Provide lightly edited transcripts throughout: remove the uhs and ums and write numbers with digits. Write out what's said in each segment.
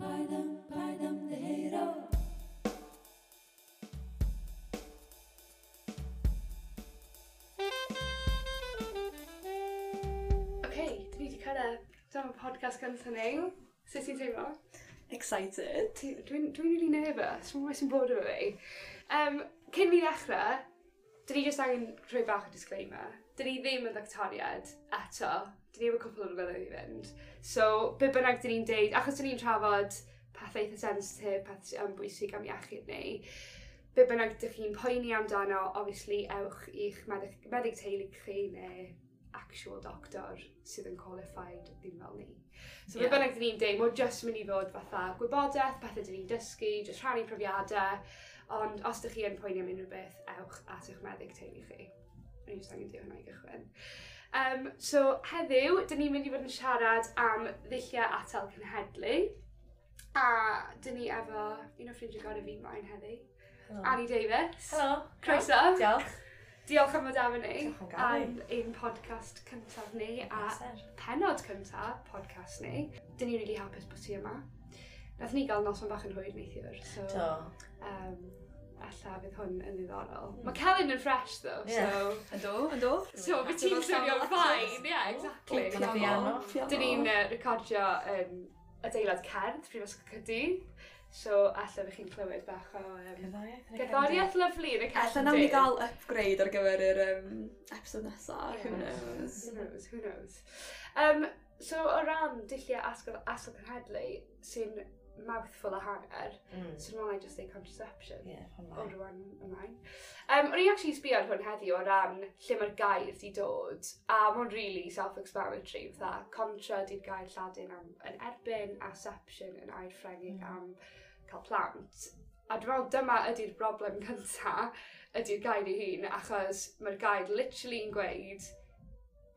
Paid am, paid ymddiheuro. OK, dyn ni 'di cyrraedd. Dyma podcast gynta ni. Sut ti'n teimlo? Excited. Dwi'n really nervous. Dwi'm yn gwbo' sy'n bod efo fi. Cyn ni ddechre, dyn ni jyst angen rhoi bach o disclaimer. Dyn ni ddim yn ddoctoriad eto. Dyn ni efo cwpl o flynyddoedd i fynd. So, be bynnag dyn ni'n deud, achos dyn ni'n trafod pethau eitha sensitif, pethau sy'n bwysig am iechyd ni, be bynnag dych chi'n poeni amdano, obviously, ewch i'ch meddyg teulu chi neu actual doctor sydd yn qualified, ddim fel ni. So be bynnag dyn ni'n deud, mae'n just mynd i fod fatha gwybodaeth, pethau dyn ni'n dysgu, just rhannu profiadau, ond os ydych chi yn poeni am unrhyw beth, ewch at eich meddyg teulu chi. O'n i just angen deud hwnna i gychwyn. So heddiw, dyn ni'n mynd i fod yn siarad am ddulliau atal cenhedlu. A dyn ni efo un o ffrindiau gorau fi mlaen heddi. Helo. Annie Davies. Helo. Croeso. Diolch. Diolch am fod efo ni. Diolch am gael Am ein podcast cyntaf ni a Pleser. penod cyntaf podcast ni. Dyn ni'n really hapus bod ti yma. Nath ni gael noson bach yn hwyr neithiwr, so Do. Ella fydd hwn yn ddiddorol. Mae Celyn yn fresh though, so... Yndw, yndw. So, fe ti'n swnio'n fine, yeah, exactly. Piano. Piano. Piano. Dyn ni'n recordio yn adeilad cerdd, Prifysgol Caerdydd. So, alla fe chi'n clywed bach o Gerddoriaeth. yn y gerddoriaeth lyfli yn y Ella cefndir. nawn ni gael upgrade ar gyfer yr episode nesaf, who Yeah. knows. Who knows, who knows. So, o ran dulliau atal cenhedlu, sy'n mouthful a hanner, so dwi'n meddwl I just say contraception. Yeah, O hwnna. rwan ymlaen. O'n i actually sbio ar hwn heddiw o ran lle mae'r gair di dod, a mae'n really self-explanatory, fatha contra di'r gair Lladin am yn erbyn, a seption yn air Ffrengig am cael plant. A dwi'n meddwl dyma ydy'r broblem cynta, ydy'r gair ei hun, achos mae'r gair literally yn gweud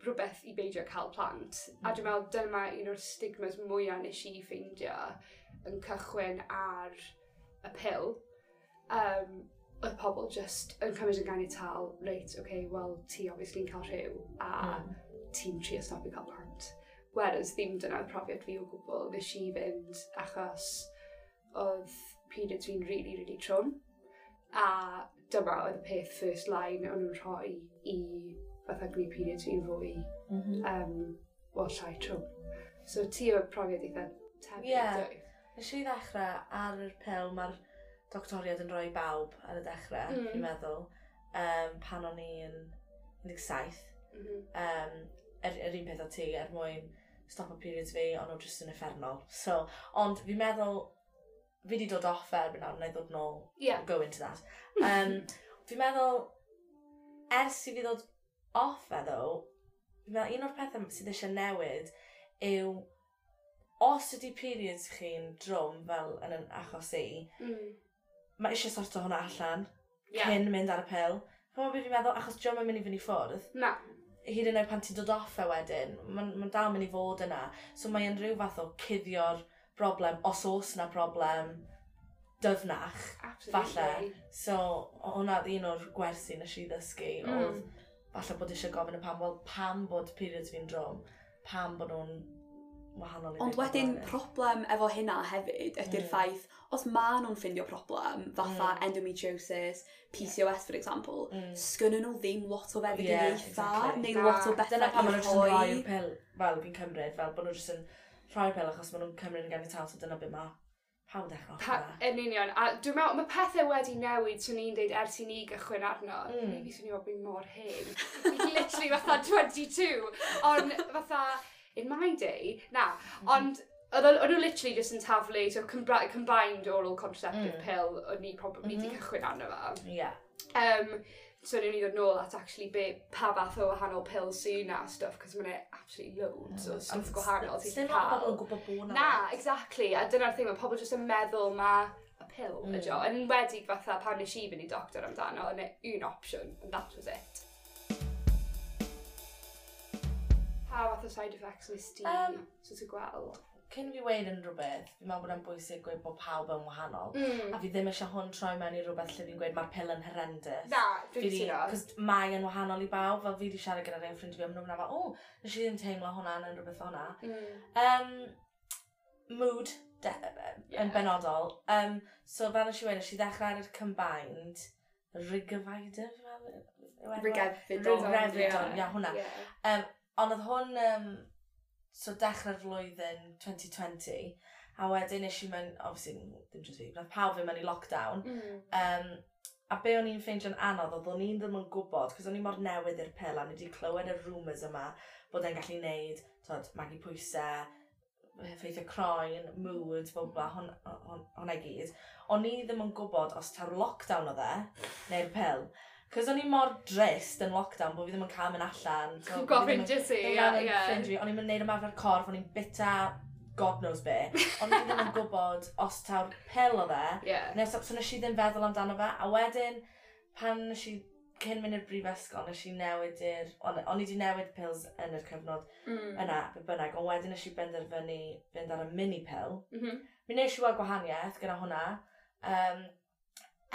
rhywbeth i beidio cael plant. A dwi'n meddwl dyma un o'r stigmas mwyaf nes i ffeindio yn cychwyn ar y pil. Oedd pobl just yn cymryd yn ganiataol, reit, oce, okay, wel, ti obviously yn cael rhyw, a ti'n trio stopio cael plant. Whereas ddim dyna'r profiad fi o gwbl, nes i fynd achos oedd periods fi'n really, really trwm. A dyma oedd y peth first line o'n nhw'n rhoi i fatha gwneud periods fi'n fwy, wel, llai trwm. So ti o'r profiad eitha tebyg, Ie. dwy? Nes i ddechrau ar yr pil, mae'r doctoriad yn rhoi bawb ar y dechrau, fi'n meddwl, pan o'n i yn 17. Yr un peth o ti, er mwyn stop o periods fi, ond nhw jyst yn uffernol. So, ond fi'n meddwl, fi wedi dod off e erbyn nawr, na i ddod nôl, go into that. Fi'n meddwl, ers i fi ddod off e ddo, fi'n meddwl un o'r pethau sydd eisiau newid yw, os ydy periods chi'n drwm fel yn yn achos i, mae eisiau sorto hwnna allan cyn mynd ar y pil. Ch'mod beth fi'n meddwl, achos dio'm yn mynd i fynd i ffwrdd. Na. Hyd yn oed pan ti'n dod off e wedyn, mae'n dal mynd i fod yna. So mae'n rhyw fath o cuddio'r broblem, os oes na broblem dyfnach, falle. So hwnna oedd un o'r gwersi nes i ddysgu, oedd falle bod eisiau gofyn y pam, wel pam bod periods fi'n drwm, pam bod nhw'n wahanol i Ond rhai wedyn pobl eraill. problem efo hynna hefyd ydy'r ffaith, os ma nhw'n ffindio problem, fatha endometriosis, PCOS for example, sgynnyn nhw ddim lot o feddyginiaethau, neu lot o Na. bethau Dyna pam i maen nhw jyst yn rhoi. rhoi'r pil, fel fi'n cymryd, fel bod nhw jyst yn rhoi'r pil achos maen nhw'n cymryd yn ganiataol, so dyna beth mae pawb yn dechrau off gyda. Yn union, a dwi'n meddwl, mae pethau wedi newid, swn i'n deud, ers i ni gychwyn arno. Maybe swn i'n meddwl bod fi'n mor hen. Fi literally fatha 22, ond fatha, in my day, na, ond oedd nhw literally just yn taflu, so combined oral contraceptive pill, o'n ni probably di cychwyn arno fo. So ni'n i ddod nôl at actually be, pa fath o wahanol pills sy'n na stuff, cos mae'n absolutely loads o stuff gwahanol ti'n Sdim lot o cael. bobl yn gwybod bod 'na Na, lot. exactly. A dyna'r thing, mae pobl jyst yn meddwl ma y pill ydi o. Yn enwedig fatha pan nes i fynd i doctor amdano, yna un opsiwn, and that was it. Pa fath o side effects nes ti sort of gweld? Cyn fi weud unrhyw beth, fi'n meddwl bod e'n bwysig gweud bod pawb yn wahanol. A fi ddim eisiau hwn troi mewn i rhywbeth lle fi'n gweud mae'r pil yn horrendous. Na, dwi'n cytuno. Cos mae yn wahanol i bawb, fel fi wedi siarad gyda rhai o ffrindiau fi, a maen nhw'n fel, o, nes i ddim teimlo hwnna yn rhywbeth fel hwnna. Mood, Yn benodol. So fel nes i weud, nes i ddechrau ar y combined Rigevidon, Rigevidon. Rigevidon, ia, hwnna. Ond oedd hwn, so dechrau'r flwyddyn 2020, a wedyn nes i mewn, obviously, ddim just fi, nath pawb fynd mewn i lockdown. A be o'n i'n ffeindio'n anodd, oedd o'n i'n ddim yn gwybod, cos o'n i mor newydd i'r pil, a ni wedi clywed y rumours yma, bod e'n gallu neud, twod, magu pwysau, effeithio croen, mood, bla bla, hwnna i gyd. O'n i ddim yn gwybod os ta'r lockdown oedd e, neu'r pil. Cos o'n i mor drist yn lockdown bod fi ddim yn cael mynd allan. So, Gweld ffrindiau ti, ie. Ffrindiau, o'n i'n mynd neud ymarfer corff, o'n i'n bita God knows be. O'n i ddim yn gwybod os taw'r pil oedd e. Neu, so nes i ddim feddwl amdano fe. A wedyn, pan nes i, cyn mynd i'r brifysgol, nes i newid i'r... O'n i wedi newid pills yn yr cyfnod yna, be bynnag. Ond wedyn nes i benderfynu fynd ar y mini pill. Mi nes i weld gwahaniaeth gyda hwnna.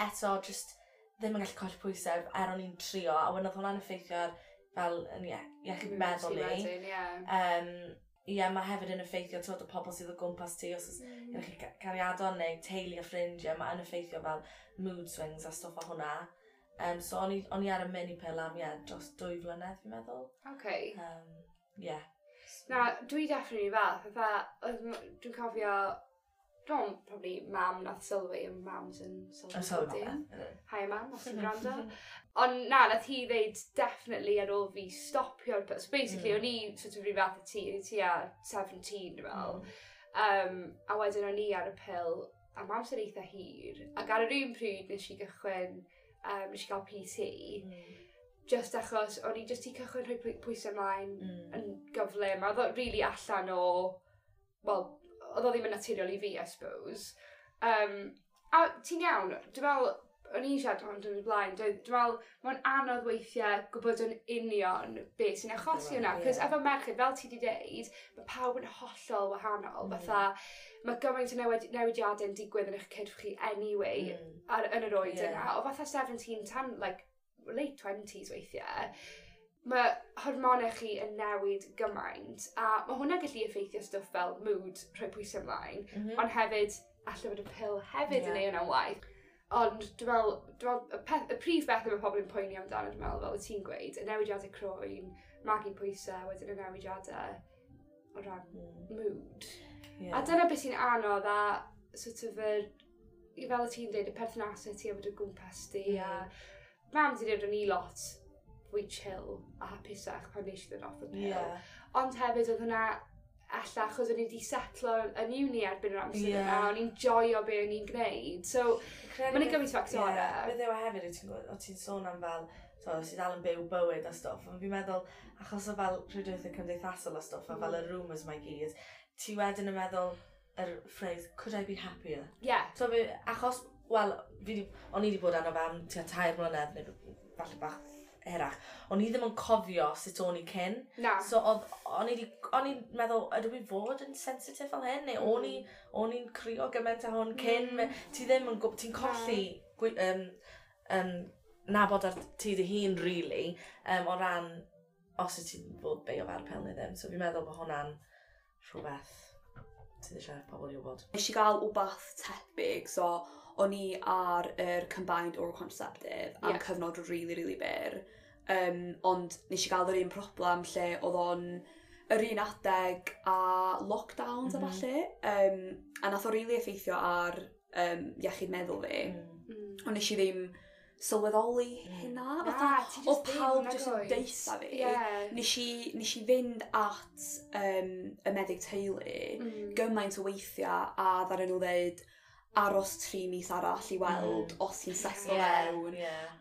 Eto, just ddim yn gallu colli pwysau er o'n i'n trio, a wedyn oedd hwnna'n effeithio ar fel yn iechyd meddwl ni. Ie, mae hefyd yn effeithio twod, y pobl sydd o gwmpas ti, os oes gyda chi cariadon neu teulu a ffrindiau, mae yn effeithio fel mood swings a stwff o hwnna. So o'n i ar y mini pill am, ie, dros 2 flynedd, fi'n meddwl. Okay. Yeah. Na, dwi definitely fel, fatha, dwi'n cofio, dwi'n probably mam nath sylwi, mams yn sylwi. Hi mam, os ti'n gwrando. Ond na, nath hi ddeud definitely ar ôl fi stopio'r... So basically, o'n i sort of rhyw fath o ti, o'n i tua 17, dwi'n meddwl. A wedyn o'n i ar y pil am amser eitha hir. Ac ar yr un pryd nes i gychwyn, nes i gael PT, just achos o'n i just i cychwyn rhoi pwysau ymlaen yn gyflym. A oedd o really allan o... Wel, oedd o ddim yn naturiol i fi, I suppose. A ti'n iawn, dwi'n meddwl, o'n i'n siarad am dyn blaen, dwi'n meddwl, mae'n anodd weithiau gwybod yn union beth sy'n achosi hwnna. Cos efo merched, fel ti wedi deud, mae pawb yn hollol wahanol. Fatha, mae gymaint o newidiadau yn digwydd yn eich cyrff chi anyway, yn yr oed yna. O fatha 17 tan, like, late 20s weithiau, mae hormonau chi yn newid gymaint, a mae hwnna'n gallu effeithio stwff fel mood, rhoi pwysau ymlaen, ond hefyd, allai fod y pil hefyd yn ei hwnna'n waith. Ond dwi'n meddwl, y prif beth mae pobl yn poeni amdano, dwi'n meddwl, fel y ti'n gweud, y newidiadau croen, magu pwysau, wedyn y newidiadau o ran mood. A dyna beth sy'n anodd a sort of fel y ti'n dweud, y perthnasau ti a bod o gwmpas ti, a mam ti dweud o'n i lot fwy chill a hapusach pan nes i ddod off y pil. Ond hefyd oedd hwnna ella achos o'n i wedi setlo yn uni erbyn yr amser yna, o'n i'n joio be o'n i'n gwneud. So, mae'n gymaint o ffactorau. Beth yw e hefyd, o ti'n sôn am fel, so, sydd dal yn byw bywyd a stwff, ond fi'n meddwl, achos o fel rhwydwaithau cymdeithasol a stwff, a fel y rumours mae gyd, ti wedyn yn meddwl yr phrase, could I be happier? Yeah. So, fi, achos, wel, o'n i wedi bod arno fe am tua 3 mlynedd, neu falle bach hirach. O'n i ddim yn cofio sut o'n i cyn. Na. So o'n i'n meddwl, ydw i fod yn sensitif fel hyn? Neu o'n i'n crio gymaint â hwn cyn? Ti ddim yn gwybod, ti'n colli nabod ar ti dy hun, really, o ran os wyt ti'n fod beio fel pil neu ddim. So fi'n meddwl bod hwnna'n rhywbeth sydd eisiau pobl i wybod. Nes i gael wbath tebyg, so o'n i ar yr combined oral contraceptive am cyfnod really, really byr. Ond nes i gael yr un problem lle oedd o'n yr un adeg a lockdowns a ballu. A nath o really effeithio ar iechyd meddwl fi. Ond nes i ddim sylweddoli hynna. Fatha, o pawb jyst yn deutha fi. Nes i fynd at y meddyg teulu gymaint o weithiau a ddaru nhw ddeud aros 3 mis arall i weld os ti'n setlo mewn.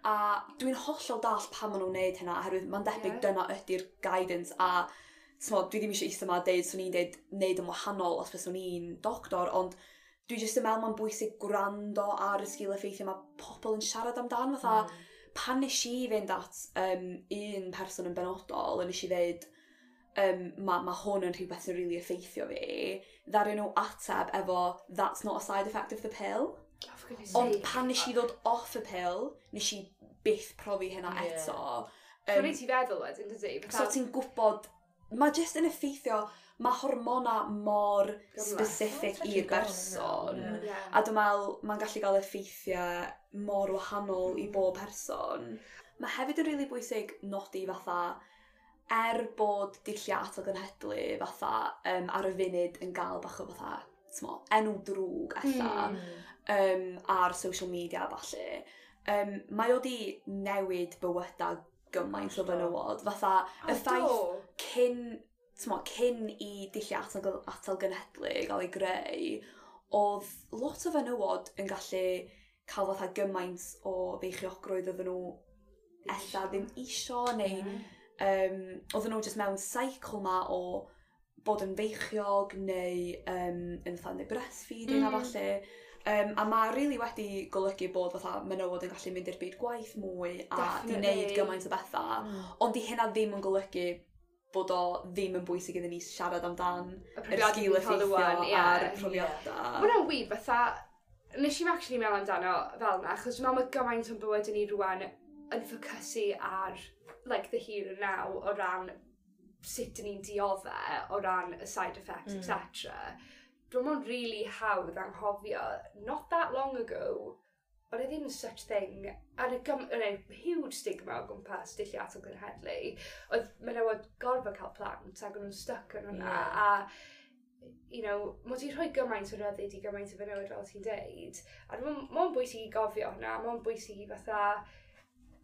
A dwi'n hollol dallt pam maen nhw'n neud hynna, oherwydd mae'n debyg dyna ydy'r guidance a t'mod, dwi ddim eisiau eistedd yma a deud swn i'n deud neud yn wahanol os fyswn i'n doctor, ond dwi jyst yn meddwl mae'n bwysig gwrando ar y sgil effeithiau mae pobl yn siarad amdan. Fatha, pan nes i fynd at un person yn benodol, a nes i ddeud, mae hwn yn rhywbeth sy'n really effeithio fi, ddaru nhw ateb efo, that's not a side effect of the pill. Oh, ond pan nes i ddod off y pill, nes i byth profi hynna eto. So nes i feddwl wedyn, dydy? So ti'n gwybod, mae jyst yn effeithio, Mae hormona mor specific i'r berson. A dwi'n meddwl, mae'n gallu gael effeithiau mor wahanol i bob person. Mae hefyd yn rili bwysig nodi fatha, er bod dulliau atal genhedlu fatha ar y funud yn gael bach o fatha, t'mo, enw drwg ella ar social media a ballu, mae o di newid bywydau gymaint o fenywod. Fatha, y ffaith cyn, t'mo, cyn i dulliau atal genhedlu gael ei greu, oedd lot o fenywod yn gallu cael fatha gymaint o feichiogrwydd oedden nhw ella ddim isio, neu oedden nhw jyst mewn cycle ma o bod yn feichiog neu yn fatha neu breastfeeding a falle. A mae really wedi golygu bod fatha menywod yn gallu mynd i'r byd gwaith mwy a di wneud gymaint o bethau. Ond di hynna ddim yn golygu bod o ddim yn bwysig iddyn ni siarad amdan y yr profiadau sgil ni'n cael effeithio rŵan, ie. a'r profiadau. Mae hwnna'n wir, fatha, nes i'm actually meddwl amdano fel yna, achos dwi'n meddwl mae gymaint o'n bywyd ni rwan yn ffocysu ar, like, the here and now o ran sut dyn ni'n dioddef, o ran y side effects, etc. Dwi'n meddwl really hawdd anghofio, not that long ago, oedd e ddim such thing, a oedd e huge stigma o gwmpas dulliau atal genhedlu. Oedd menywod gorfod cael plant ac o'n nhw'n stuck yn hwnna, a mae wedi rhoi gymaint o ryddid i gymaint o fenywod fel ti'n deud. A dwi'n meddwl, mae'n bwysig i gofio hwnna, mae'n bwysig i fatha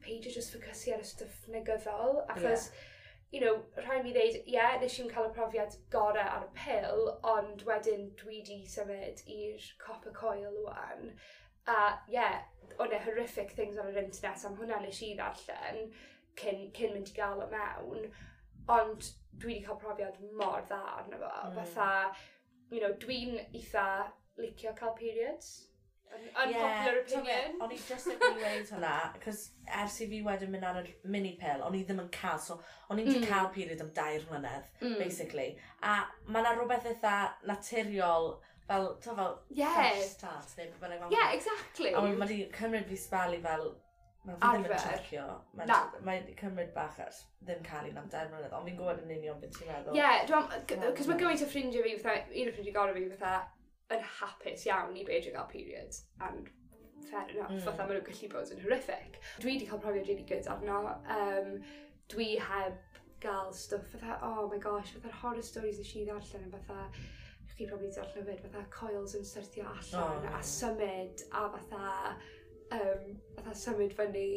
peidio just ffocysu ar y stwff negyddol, achos, rhaid mi ddeud, ie, yeah, nes i'm cael y profiad gorau ar y pil, ond wedyn dwi di symud i'r copper coil wan. A ie, yeah, o'n e horrific things ar yr internet am hwnna nes i ddarllen cyn mynd i gael o mewn, ond dwi wedi cael profiad mor dda arno fo. Fatha, dwi'n eitha licio cael periods. Unpopular opinion. O'n i just yn mynd i weud hwnna, cos ers i fi wedyn mynd ar y mini pill, o'n i ddim yn cael, so o'n i'n cael period am 2 mlynedd, basically. A mae yna rhywbeth eitha naturiol, fel, ti'n fel, fresh start, neu beth bynnag. Yeah, exactly. A mae wedi cymryd fi sbel i fel, mae fi ddim yn Arfer. checio. Na. Mae wedi cymryd bach ers ddim cael un am 2 mlynedd, ond fi'n gwybod yn union beth ti'n meddwl. Yeah, dwi'n cos mae gymaint o ffrindiau fi, fatha, un o ffrindiau gorau fi, fatha, yn hapus iawn i beidio gael periods, and fair enough, fatha maen nhw'n gallu bod yn horrific. Dwi wedi cael profiad really good arno. Dwi heb gael stwff fatha, oh my gosh, fatha'r horror stories nes i ddarllen yn fatha, chi probably darllen hefyd, fatha coils yn syrthio allan a symud a fatha symud fyny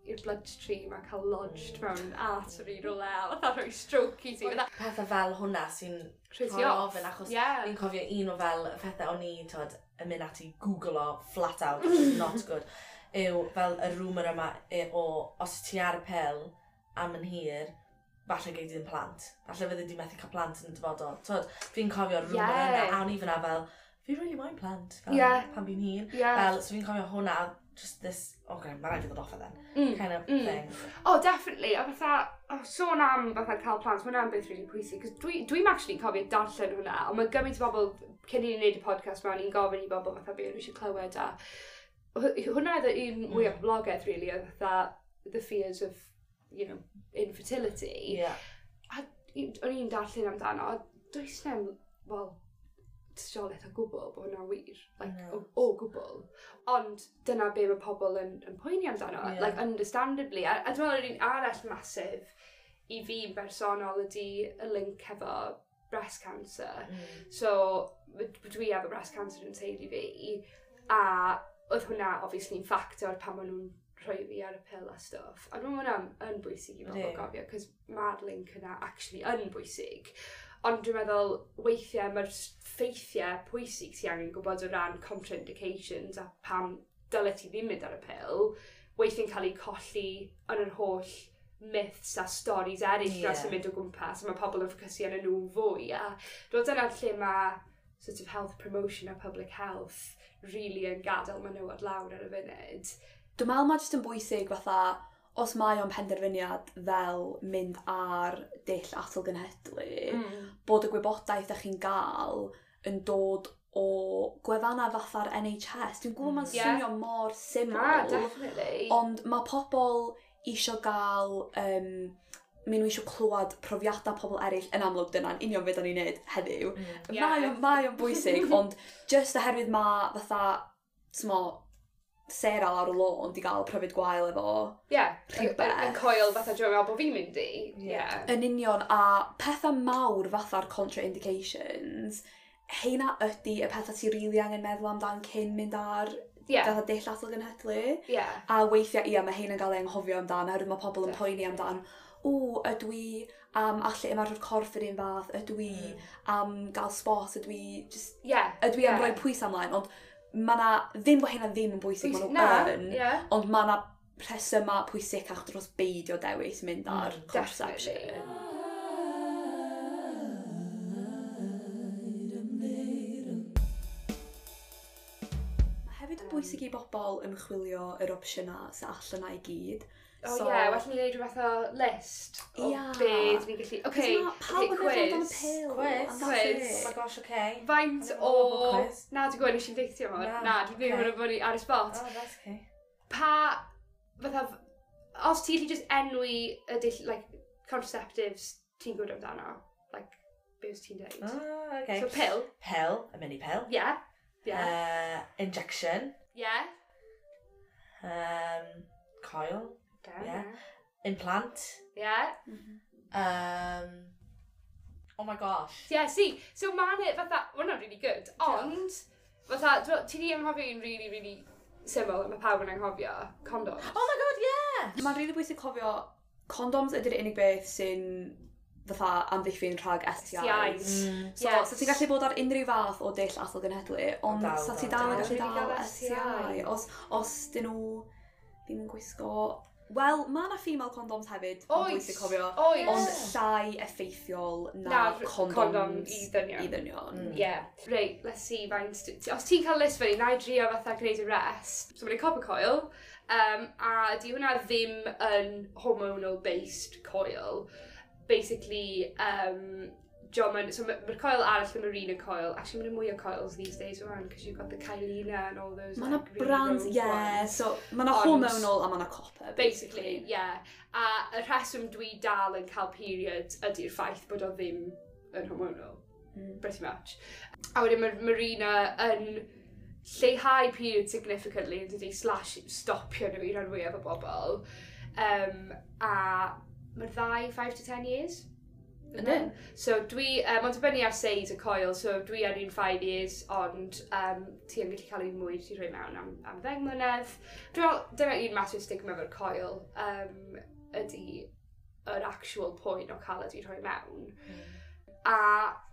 i'r bloodstream a cael lodged mewn artery rhywle a fatha rhoi stroke i ti. Fatha, Pethau fel hwnna sy'n rhoi ti rhoi off. ofyn, achos fi'n cofio un o fel y pethau o'n i, tod, yn mynd ati Google o flat out, which is not good, yw fel y rumour yma o os ti ar y pil am yn hir, falle gei di ddim plant. Falle fyddi di methu cael plant yn y dyfodol. Tod, fi'n cofio'r rumour yna, a o'n i fyna fel, fi really moyn plant, fel, pan fi'n hŷn. Fel, so fi'n cofio hwnna, just this, okay, mae rhaid i ddod off e then, kind of thing. Oh, definitely. A fatha, oh, sôn am fatha cael plant, mae hwnna'n beth really pwysig. Cos dwi'n actually cofio darllen hwnna, ond mae gymaint o bobl, cyn i ni wneud y podcast ma, ni'n gofyn i bobl fatha be o'n nhw eisiau clywed a hwnna oedd y un mwyaf poblogaidd, really, oedd fatha the fears of, infertility. A o'n i'n darllen amdano, a does na'm, wel, tystiolaeth o gwbl bod hwnna'n wir. Like, No. o gwbl. Ond dyna be mae pobl yn poeni amdano, like, understandably. A dwi'n meddwl yr un arall massive i fi yn bersonol ydy y link efo breast cancer. So, dwi efo breast cancer yn teulu fi, a oedd hwnna obviously yn ffactor pan maen nhw'n rhoi fi ar y pil a stwff. A dwi'n meddwl hwnna'n yn bwysig i bobl gofio, cos mae'r link yna actually yn bwysig. Ond dwi'n meddwl, weithiau mae'r ffeithiau pwysig ti angen gwybod o ran contraindications a pam dyle ti ddim mynd ar y pil, weithiau'n cael eu colli yn yr holl myths a stories eraill yeah. sy'n mynd o gwmpas, a mae pobl yn ffocysu arnyn nhw fwy. A dwi'n meddwl dyna lle mae sort of health promotion a public health really yn gadael menywod lawr ar y funud. Dwi'n meddwl mae jyst yn bwysig fatha, os mae o'n penderfyniad fel mynd ar dull atal genhedlu, bod y gwybodaeth ydych chi'n gael yn dod o gwefannau fatha'r NHS. Dwi'n gwybod mae'n swnio mor syml. Na, definitely. Ond mae pobl isio gael. maen nhw eisiau clywed profiadau pobl eraill yn amlwg dyna'n union beth o'n i'n neud heddiw. Yeah. Mae o'n bwysig, ond just oherwydd mae fatha, t'mo, Sarah lawr y lôn di gael profiad gwael efo rhywbeth. Yn coil fatha dwi'n meddwl bod fi'n mynd i. Yeah. Yn union, a pethau mawr fatha'r contraindications, heina ydy y pethau ti rili really angen meddwl amdan cyn mynd ar fatha dull atal genhedlu. Yeah. A weithiau, ia, mae heina'n gael ei anghofio amdan, oherwydd mae pobl yn poeni amdan, o, ydw i am allu ymarfer corff yr un fath, ydw i am gael spot, ydw i just, ydw i am rhoi pwysau ymlaen, ond mae na, ddim bod hynna ddim yn bwysig, maen nhw yn, ond mae na rhesymau pwysicach dros beidio dewis mynd ar contraception. Mae hefyd yn bwysig i bobl ymchwilio yr opsiynau sy'n allan na i gyd. Oh so, yeah, well ni wneud rhyw fath o list o be ni'n gallu... Okay, pawb yn meddwl amdan y pil. Quiz. Oh my gosh, okay. Faint o... Na, dwi'n gwybod, nes i'n deithio mor. Na, dwi'n ddim yn bod ar y spot. Oh, that's okay. Pa, fatha, os ti'n gallu just enwi y dull, like, contraceptives ti'n gwybod amdano? Like, be wyt ti'n dweud? Oh, okay. So, pill. Pill, a mini pill. Yeah. Yeah. Injection. Yeah. Coil. Yeah. Implant. Yeah. Oh my gosh. Yeah, see, so ma'n it fatha, well, really good, ond, fatha, ti di anghofio un really, really syml, mae pawb yn anghofio, condoms. Oh my god, yeah! Mae'n really bwysig cofio, condoms ydy'r unig beth sy'n fatha amddiffyn rhag STIs. So, yes. So ti'n gallu bod ar unrhyw fath o dull atal genhedlu, ond sa ti dal yn gallu dal STI. Os dyn nhw ddim yn gwisgo... Wel, mae yna female condoms hefyd, ond bwysig cofio, ond llai effeithiol na condoms i ddynion. I ddynion. Yeah. Reit, let's see, faint... Os ti'n cael list fyny, na i drio fatha gwneud y rest. So mae'n copper coil, a di hwnna ddim yn hormonal-based coil. Basically, so mae'r coil arall yn Mirena coil. Actually, mae'n mwy o coils these days rwan, because you've got the Kyleena and all those. Mae yna like, really brands, yeah. So, mae yna hormonal a mae yna copper, basically. Yeah. A y rheswm dwi dal yn cael period ydy'r ffaith bod o ddim yn hormonal. Pretty much. A wedyn mae'r Mirena yn lleihau period significantly, yn dydi, slash stopio nhw i ran fwyaf o bobl. A mae'r ddau 5 to 10 years. Yndyn. So dwi, mae'n dibynnu ar size y coil, so dwi ar un 5 years, ond ti yn gallu cael un mwy ti'n rhoi mewn am 10 mlynedd. Dwi'n meddwl, dyna un massive stigma efo'r coil, ydy yr actual point o cael ydy rhoi mewn. A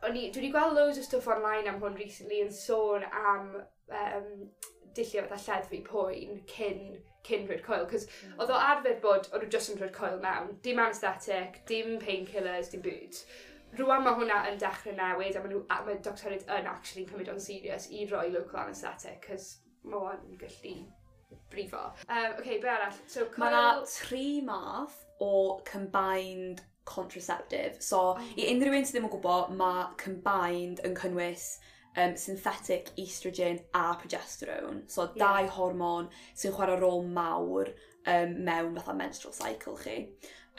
dwi wedi gweld loads o stuff online am hwn recently yn sôn am dulliau fatha lleddfu poen cyn rhoi'r coil, cos oedd o arfer bod, o'n nhw just yn rhoi'r coil mewn, dim anaesthetic, dim painkillers, dim byd. Rwan mae hwnna yn dechrau newid, a mae doctoriaid yn actually cymryd o'n serious i roi local anaesthetic, cos mae o'n gallu brifo. Okay, be arall? So, coil... Mae yna 3 math o combined contraceptive. So, i unrhyw un sydd ddim yn gwybod, mae combined yn cynnwys synthetic estrogen a progesterone. So, dau hormon sy'n chwarae rôl mawr mewn fatha menstrual cycle chi.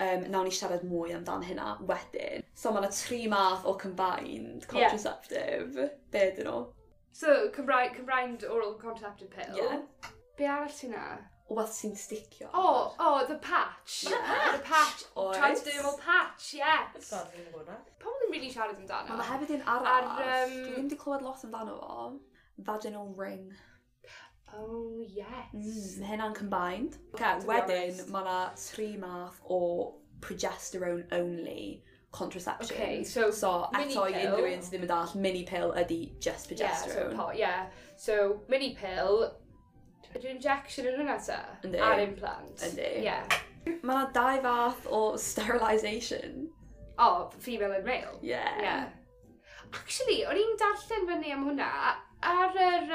Nawn ni siarad mwy amdan hynna wedyn. So, mae yna 3 math o combined contraceptive. Be ydyn nhw? So, combined oral contraceptive pill. Yeah. Be arall sy'n na? Wbath sy'n sticio. Oh, the patch. Yeah. The patch. Oes. Transdermal patch, yes. God, fi'n gwybod na. Pobl ddim really siarad amdano. Mae hefyd un arall. Dwi ddim wedi clywed lot amdano fo. Vaginal ring. Oh, yes. Mae hynna'n combined. Okay, wedyn, mae yna 3 math o progesterone only contraception. Okay, so eto i unrhyw un sydd ddim yn dall, mini pill ydy just progesterone. Yeah, so mini pill, ydy'r injection yn hwnna ta? Yndi. A'r implant. Yndi. Yeah. Mae yna 2 fath o sterilisation. Oh, female and male. Yeah. Yeah. Actually, o'n i'n darllen fyny am hwnna, ar yr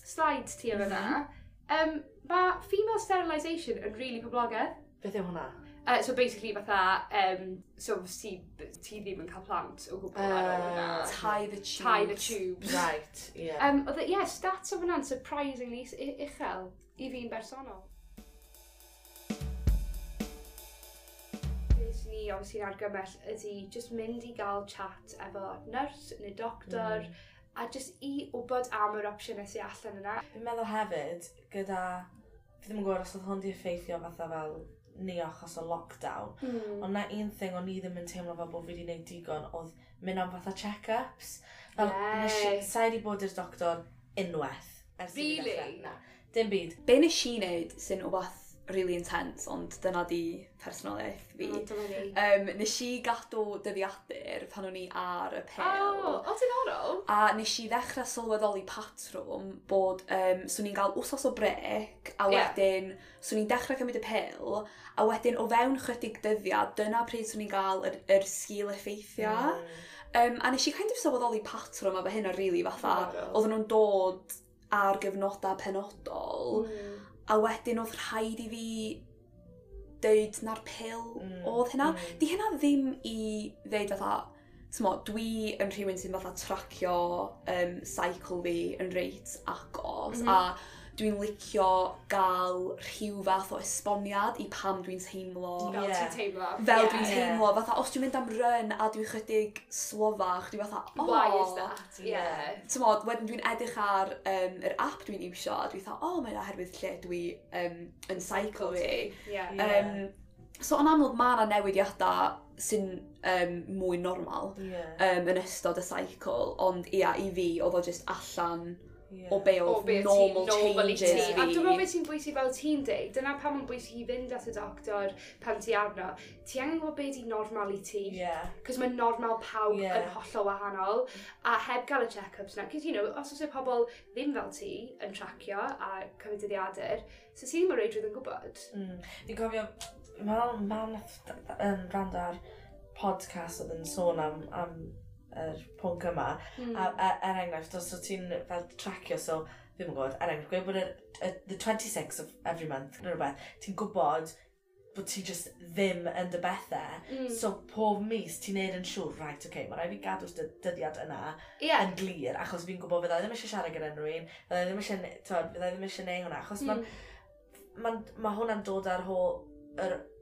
slides ti o fyna, mae female sterilisation yn really poblogaidd. Beth yw hwnna? So basically fatha, so ti ddim yn cael plant o gwbl ar ôl hwnna. Tie the tubes. Tie the tubes. Right, yeah. Oedd, yeah, stats o hwnna'n surprisingly uchel i fi'n bersonol. beth ni obviously yn argymell ydy just mynd i gael chat efo nyrs neu doctor, a just i wybod am yr opsiynau sy'n allan yna. Fi'n meddwl hefyd, gyda... Fi ddim yn gwybod os oedd hwn di effeithio fatha fel ni achos o lockdown. Ond na un thing o'n i ddim yn teimlo fel bod fi wedi gwneud digon oedd mynd am fatha check-ups. Fel, nes i, sa i wedi bod i'r doctor unwaith. Ers i fi Really? Na, dim byd. Be nes i wneud sy'n wbath really intense, ond dyna di personoliaeth fi. Oh, dyma ni. Nes i gadw dyddiadur pan o'n i ar y pil. Oh, o, diddorol. A nes i ddechrau sylweddoli patrwm bod swn i'n cael wsos o brec, a wedyn swn i'n dechrau cymryd y pil, a wedyn o fewn chydig dyddiad, dyna pryd swn i'n gael yr sgil effeithiau. A nes i kind of sylweddoli patrwm efo hynna, really, fatha, oedden nhw'n dod ar gyfnodau penodol, a wedyn oedd rhaid i fi deud na'r pil oedd hynna. Di hynna ddim i ddeud fatha, t'mo, dwi yn rhywun sy'n fatha tracio cycle fi yn reit agos, a dwi'n licio gael rhyw fath o esboniad i pam dwi'n teimlo Fel ti'n teimlo. Fel dwi'n teimlo, fatha, os dwi'n mynd am run a dwi'n chydig slofach, dwi'n fatha, oh. Why is that? Yeah. T'mod, wedyn dwi'n edrych ar yr app dwi'n iwsio, a dwi'n fatha, oh, mae'n oherwydd lle dwi yn cycle fi. So, yn amlwg, mae yna newidiadau sy'n mwy normal yn ystod y cycle, ond ia, i fi, oedd o just allan o be O oedd be ti'n normal normal i changes ti. fi. A dwi'n meddwl beth sy'n bwysig fel ti'n deud, dyna pam mae'n bwysig i fynd at y doctor pan ti arno. Ti angen gwybod be di normal i ti. Cos mae normal pawb yn hollol wahanol. A heb gael y check-ups na. Cos, os oes y pobl ddim fel ti yn tracio a cymryd dyddiadur, so ti ddim o reidrwydd yn gwybod. Fi'n cofio, mam nath rando ar podcast oedd yn sôn am yr pwnc yma. A, er enghraifft, os wyt ti'n fel tracio, so, ddim yn gwybod, er enghraifft, gweud bod the 26th of every month, neu rhywbeth, ti'n gwybod bod ti just ddim yn dy bethau. So, pob mis, ti'n neud yn siŵr, right, okay, mae rhaid fi gadw'r dyddiad yna yn glir, achos fi'n gwybod fydda i ddim eisiau siarad gyda unrhyw un, fydda i ddim eisiau, t'wod, fydda i ddim eisiau neud hwnna, achos ma hwnna'n dod ar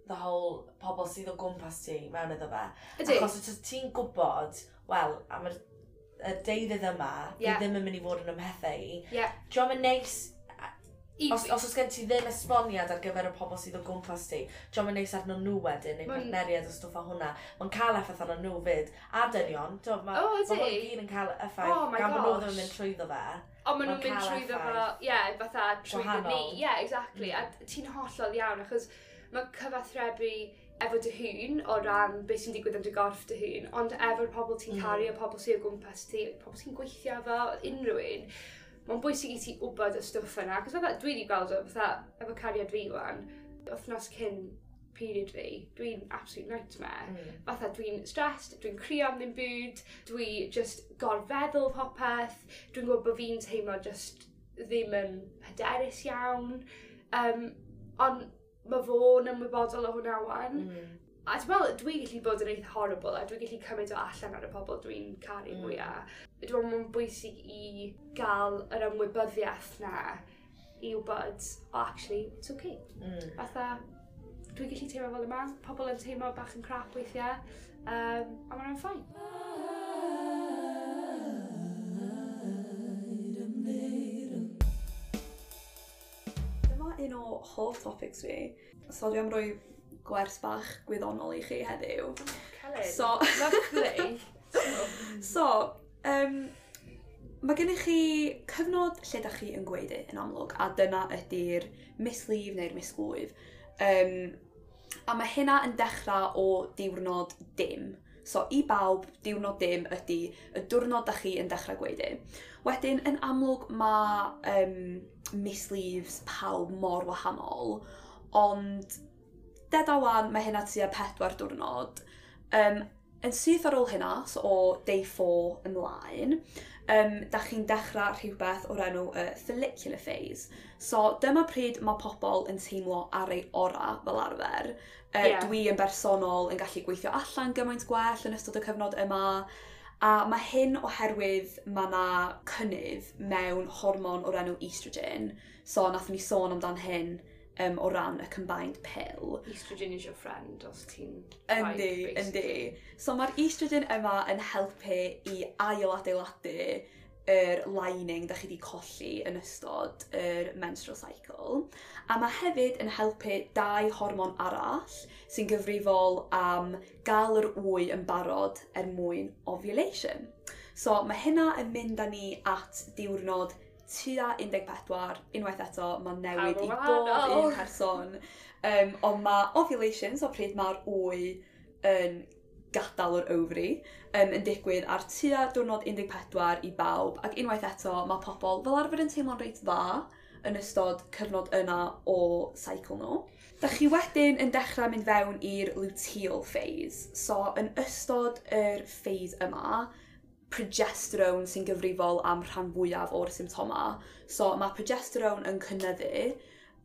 the whole pobl sydd o gwmpas ti mewn iddo fe. Ydy. Achos os ti'n gwybod, wel, am y deuddydd yma, fi ddim yn mynd i fod yn ymhethau i. Dio'm yn neis, os oes gen ti ddim esboniad ar gyfer y pobl sydd o gwmpas ti, dio'm yn neis arno nhw wedyn, neu partneriaid o stwff o hwnna. Mae'n cael effaith arno nhw fyd. A dynion, O, ydy? ma' hwn gyd yn cael effaith, Oh my gan bod nhw ddim yn gosh. mynd trwyddo fe. Ond maen nhw'n Ma'n mynd cael trwyddo fo, effaith. ie, fatha trwyddo ni. Gwahanol. Ie, exactly. A ti'n hollol iawn, achos mae cyfathrebu efo dy hun o ran beth sy'n digwydd yn dy gorff dy hun, ond efo'r pobl ti'n caru, y pobl sydd o gwmpas ti, pobl sy'n gweithio efo, unrhyw un, mae'n bwysig i ti wybod y stwff yna. Cos fatha, dwi wedi gweld o, fatha, efo cariad fi wan, wythnos cyn period fi, dwi'n absolute nightmare. Fatha, dwi'n stressed, dwi'n crio am ddim byd, dwi just gorfeddwl popeth, dwi'n gwybod bod fi'n teimlo just ddim yn hyderus iawn. Ond mae fo'n ymwybodol o hwnna wan. A ti'n meddwl, dwi'n gallu bod yn eitha horrible a dwi'n gallu cymryd o allan ar y pobl dwi'n caru mwyaf. Dwi'n meddwl mae'n bwysig i gael yr ymwybyddiaeth na i wybod, oh, actually, it's okay. Fatha, dwi'n gallu teimlo fel yma, pobl yn teimlo bach yn crap weithiau, a ma'n fine. Dyma un o hoff topics fi. So dwi am roi gwers bach gwyddonol i chi heddiw. Celyn, lovely. So, mae gennych chi cyfnod lle da chi yn gweud yn amlwg, a dyna ydy'r mislif neu'r misglwyf. A mae hynna yn dechrau o diwrnod dim. So, i bawb, diwrnod dim ydy y diwrnod da chi yn dechrau gweud. Wedyn, yn amlwg, mae mislifs pawb mor wahanol, ond deda wan, mae hynna tua 4 diwrnod. Yn syth ar ôl hynna, so o day 4 ymlaen, da chi'n dechrau rhywbeth o'r enw y follicular phase. So dyma pryd mae pobl yn teimlo ar ei ora fel arfer. Dwi yn bersonol yn gallu gweithio allan gymaint gwell yn ystod y cyfnod yma. A mae hyn oherwydd mae 'na cynnydd mewn hormon o'r enw estrogen. So nathon ni sôn amdan hyn o ran y combined pill. Estrogen is your friend os ti'n Yndi, yndi. So mae'r estrogen yma yn helpu i ail-adeiladu yr lining da chi wedi colli yn ystod yr menstrual cycle. A mae hefyd yn helpu dau hormon arall sy'n gyfrifol am gael yr wy yn barod er mwyn ovulation. So mae hynna yn mynd â ni at diwrnod tua 14, unwaith eto, mae'n newid i bob un person. Ond mae ovulation, so pryd mae'r wy yn gadael yr ovary, yn digwydd ar tua diwrnod 14 i bawb, ac unwaith eto mae pobl fel arfer yn teimlo'n reit dda yn ystod cyfnod yna o cycle nhw. Da chi wedyn yn dechrau mynd fewn i'r luteal phase. So yn ystod yr phase yma, progesterone sy'n gyfrifol am rhan fwyaf o'r symptoma. So mae progesterone yn cynyddu,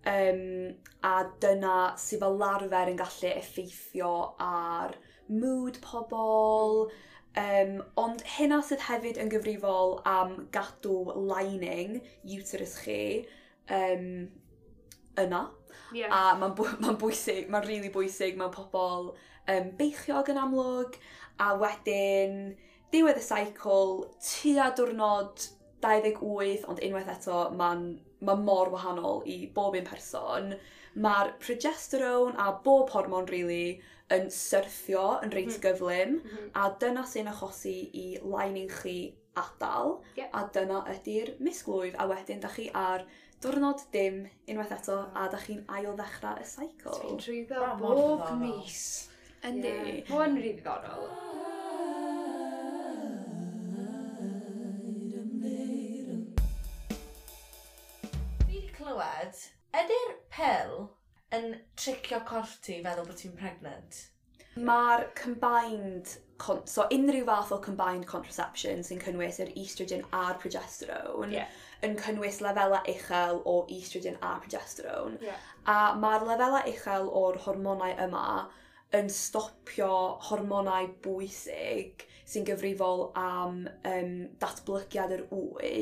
a dyna sydd fel arfer yn gallu effeithio ar mood pobl, ond hynna sydd hefyd yn gyfrifol am gadw lining uterus chi yna. Yeah. A mae'n ma bwysig, mae'n really bwysig mewn pobl beichiog yn amlwg, a wedyn diwedd y cycle, tua diwrnod 28, ond unwaith eto mae'n ma mor wahanol i bob un person. Mae'r progesterone a bob hormon really yn syrthio yn reit gyflym, a dyna sy'n achosi i lining chi adael, a dyna ydy'r misglwyf, a wedyn da chi ar diwrnod dim unwaith eto, a da chi'n ail ddechrau y cycle. Dwi'n trwyddo Ma' mor bob ddiddorol. mis. Yndi. Yeah. Mae hwn rili ddiddorol. Fi wedi clywed, ydy'r pill yn tricio corff ti i feddwl bod ti'n pregnant? Mae'r combined, so unrhyw fath o combined contraception sy'n cynnwys yr estrogen a'r progesterone, yn cynnwys lefelau uchel o estrogen a progesterone. A mae'r lefelau uchel o'r hormonau yma yn stopio hormonau bwysig sy'n gyfrifol am datblygiad yr wy.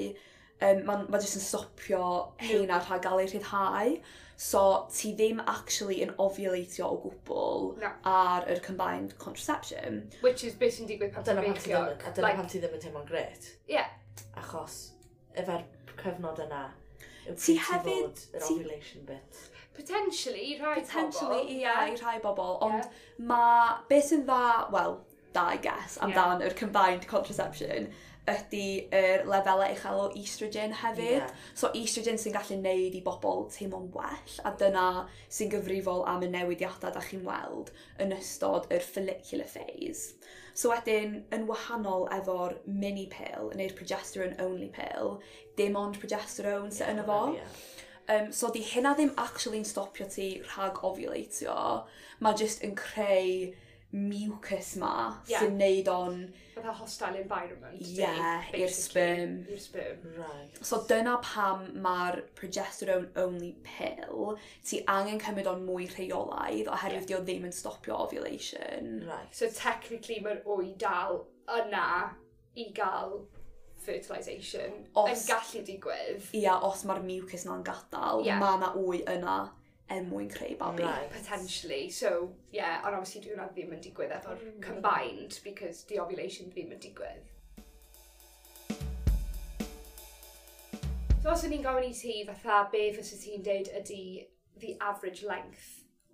Mae'n ma jyst yn stopio heina rhag gael eu rhyddhau. So ti ddim actually yn ovulatio o gwbl Na. ar yr combined contraception. Which is beth sy'n digwydd pan ti'n Dyna pam ti ddim, beichiog. a dyna pam ti ddim yn teimlo'n gret. Yeah. Achos efo'r cyfnod yna, yw Ti pryd hefyd- fod yr ovulation bit. Potentially, i rhai Potentially, pobl. ie, i rhai bobl. Ond mae, beth sy'n dda, wel, da, I guess, amdan yr combined contraception, ydy yr lefelau uchel o estrogen hefyd. So estrogen sy'n gallu neud i bobl teimlo'n well, a dyna sy'n gyfrifol am y newidiadau da chi'n weld yn ystod yr follicular phase. So wedyn, yn wahanol efo'r mini pill, neu'r progesterone only pill, dim ond progesterone sy'n yno fo. So di hynna ddim actually'n stopio ti rhag ovulatio. Mae jyst yn creu mucus ma sy'n neud o'n Fatha hostile environment. Ie, i'r sperm. I'r sperm. Right. So dyna pam mae'r progesterone only pill, ti angen cymryd o'n mwy rheolaidd oherwydd dio ddim yn stopio ovulation. Right. So technically mae'r wy dal yna i gael fertilisation yn gallu digwydd. Ia, os mae'r mucus na'n gadael, mae na wy yna er mwyn creu babi. Right. Potentially. So, yeah, ond obviously dwi hwnna ddim yn digwydd efo'r combined because the ovulation ddim yn digwydd. So os o'n i'n gofyn i ti fatha be fysa ti'n deud ydy the average length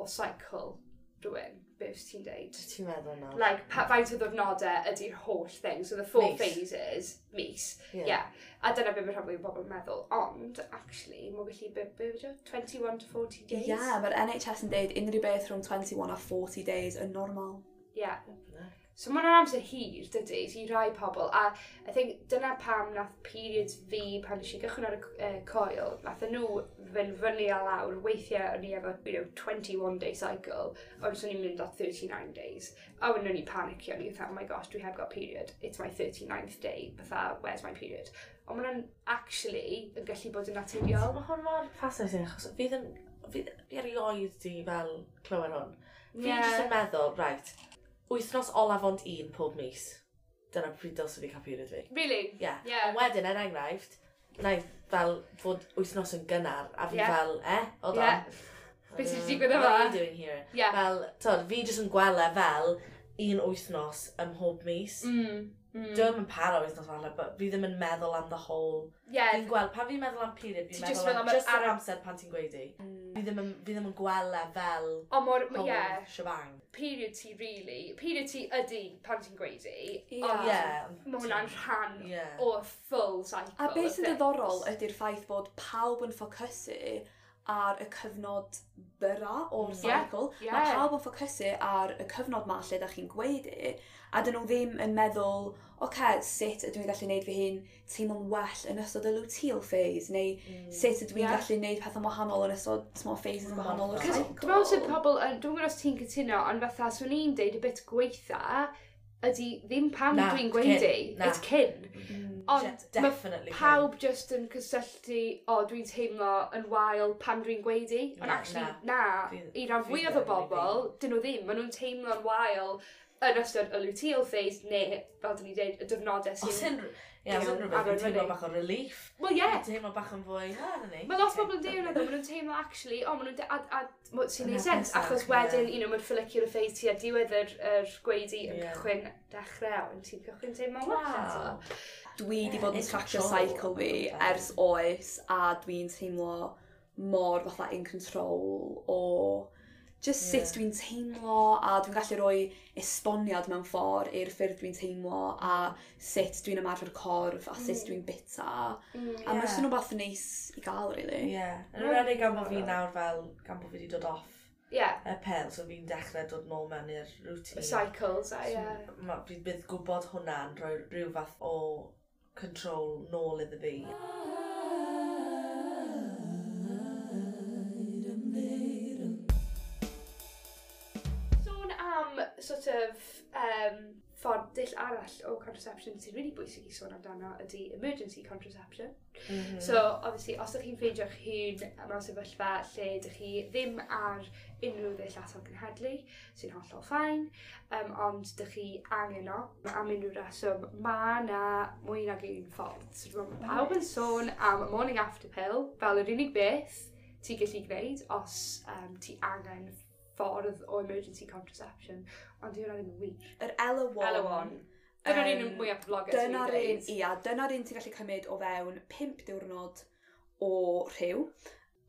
o cycle rhywun, be fysa ti'n deud? Ti'n meddwl nawr? Like, faint o ddiwrnodau ydy'r holl thing. So the four Mis. phases, mis. Ie. Yeah. A dyna be mae rhan fwyaf o bobl yn meddwl. Ond, actually, mae'n gallu, be yw o? 21 to 40 days? Ie, yeah, mae'r NHS yn deud unrhyw beth rhwng 21 a 40 days yn normal. Yeah. So mae'n amser hir, dydy, i rai pobl. A I think dyna pam nath periods fi, pan nes i gychwyn ar y coil, nath nhw fynd fyny a lawr. Weithiau o'n i efo, 21 day cycle, ond so o'n i'n mynd at 39 days. A wedyn o'n i'n panicio, o'n i'n fatha, oh my gosh, dwi heb got period. It's my 39th day, fatha, where's my period? Ond ma'n actually yn gallu bod yn naturiol. Mae hwn mor fascinating, achos fi ddim, fi erioed di fel clywed hwn. Fi jyst yn meddwl, right, wythnos olaf ond un pob mis. Dyna pryd dylse fi cael period fi. Really? Yeah. Yeah. Ond wedyn, er enghraifft, na i fel fod wythnos yn gynnar, a fi fel, hold on. Beth sy'n digwydd yma? What are you doing here? Yeah. Fel, tod, fi jyst yn gweld e fel un wythnos ym mhob mis. Dwi'n yn para wythnos falle, but fi ddim yn meddwl am the whole. Fi'n gweld, pan fi'n meddwl am period, fi'n meddwl am just yr amser pan ti'n gweud i. Fi ddim yn gweld e fel O, mor, whole shebang. Period ti, really. Period ti ydy pan ti'n gweud i. Ond mae hwnna'n rhan o full cycle. A beth sy'n diddorol ydy'r ffaith bod pawb yn ffocysu ar y cyfnod byra o'r cycle. Mae pawb yn ffocysu ar y cyfnod ma lle da chi'n gweud i, a dyn nhw ddim yn meddwl, oce, sut ydw i'n gallu neud fy hun teimlo'n well yn ystod y luteal phase, neu sut ydw i'n gallu neud pethau wahanol yn ystod small phases gwahanol o'r cycle. Dwi'n meddwl sydd pobl, dwi'n gwybod os ti'n cytuno, ond fatha, swn i'n deud y bit gweitha, ydy ddim pan dwi'n gweud i, it's cyn. Ond mae pawb just yn cysylltu, o, dwi'n teimlo yn wael pan dwi'n gweud i. Ond actually, na, i ran fwyaf o bobl, dyn nhw ddim. Maen nhw'n teimlo'n wael yn ystod y luteal phase, neu, fel dyn ni dweud, y diwrnodau sy'n... Ie, os unrhyw beth, fi'n teimlo bach o relief. Wel, ie. Fi'n teimlo bach yn fwy, na, na ni. Mae lot o bobl yn deud hwnna, maen nhw'n teimlo, actually, o, maen nhw'n... A sy'n neud sens, achos wedyn, you know, mae'r follicular phase ti a diwedd yr gweidi yn cychwyn dechrau, ond ti'n cychwyn teimlo'n well eto. Dwi wedi bod yn tracio cycle fi ers oes, a dwi'n teimlo mor fatha in control o just sut dwi'n teimlo, a dwi'n gallu rhoi esboniad mewn ffordd i'r ffyrdd dwi'n teimlo, a sut dwi'n ymarfer corff, a sut dwi'n bita. A mae'n jyst yn rhywbeth neis i gael, really. Ie. Yn enwedig gan bod fi nawr fel, gan bod fi wedi dod off y pel, so fi'n dechrau dod nôl mewn i'r routine. Y cycles, a ie. Fi'n bydd gwybod hwnna'n rhoi rhyw fath o control nôl iddo fi. Sôn am sort of ffordd dull arall o contraception sy'n really bwysig i sôn amdano ydy emergency contraception. So, obviously, os ydych chi'n ffeindio'ch hun mewn sefyllfa lle ydych chi ddim ar unrhyw ddull atal cenhedlu, sy'n hollol fine, ond ydych chi angen o am unrhyw reswm, mae yna mwy nag un ffordd. So, dwi'n meddwl mae pawb yn sôn am morning after pill fel yr unig beth ti'n gallu gwneud os ti angen ffordd o emergency contraception, ond dyw hwnna ddim yn wir. Yr Ella1. Ella1. Dyna'r un mwyaf poblogaidd sy'n Dyna'r un, dweud. ia, dyna'r un ti'n gallu cymryd o fewn 5 diwrnod o rhyw.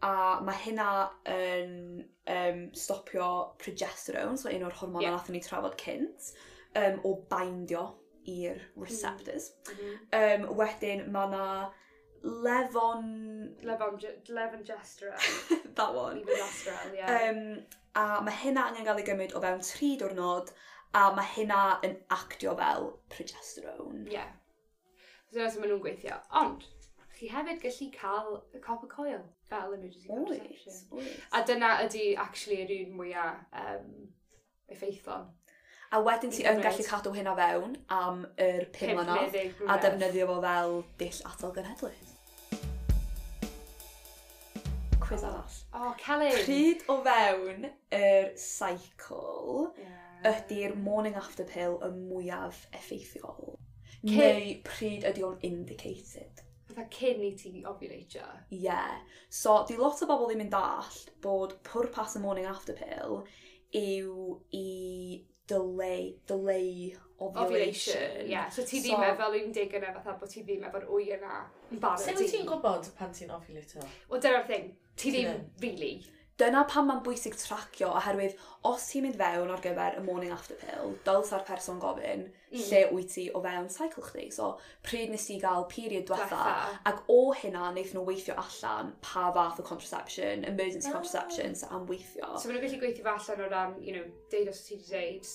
A mae hynna yn stopio progesterone, so un o'r hormonau nathon ni trafod cynt, o bindio i'r receptors. Wedyn mae yna levon... Levonorgestrel. That one. Levonorgestrel, ie. A mae hynna angen gael ei gymryd o fewn 3 diwrnod, a mae hynna yn actio fel progesterone. Ie. So dyna sut maen nhw'n gweithio. Ond, chi hefyd gallu cael y copper coil fel emergency contraception. Oes, oes. A dyna ydy actually yr un mwyaf effeithlon. A wedyn ti I yn gymryd. gallu cadw hynna fewn am yr 5 Pump neu mlynedd ddeg a mlynedd. defnyddio fo fel dull atal genhedlu. Quiz arall. O, Celyn! Pryd o fewn yr cycle ydy'r morning after pill y mwyaf effeithiol? Neu pryd ydy o'n indicated? Fatha cyn i ti ovulatio. Ie. Yeah. So, di lot o bobl ddim yn dallt bod pwrpas y morning after pill yw i delay ovulation. Ie, so ti ddim efo fel un deg yna fatha bod ti ddim efo'r wy yna yn barod. Sut wyt ti'n gwybod pan ti'n ovulatio? Wel, dyna'r thing. Ti Ti ddim, ddim. really. Dyna pam mae'n bwysig tracio, oherwydd os ti'n mynd fewn ar gyfer y morning after pill, dylsa'r person gofyn lle wyt ti o fewn cycle chdi. So, pryd nes ti gael period diwetha, Dwetha. ac o hynna wnaethon nhw weithio allan pa fath o contraception, emergency contraception, sy'n am weithio. So maen nhw'n gallu gweithio fo allan o ran, you know, deud os ti wedi deud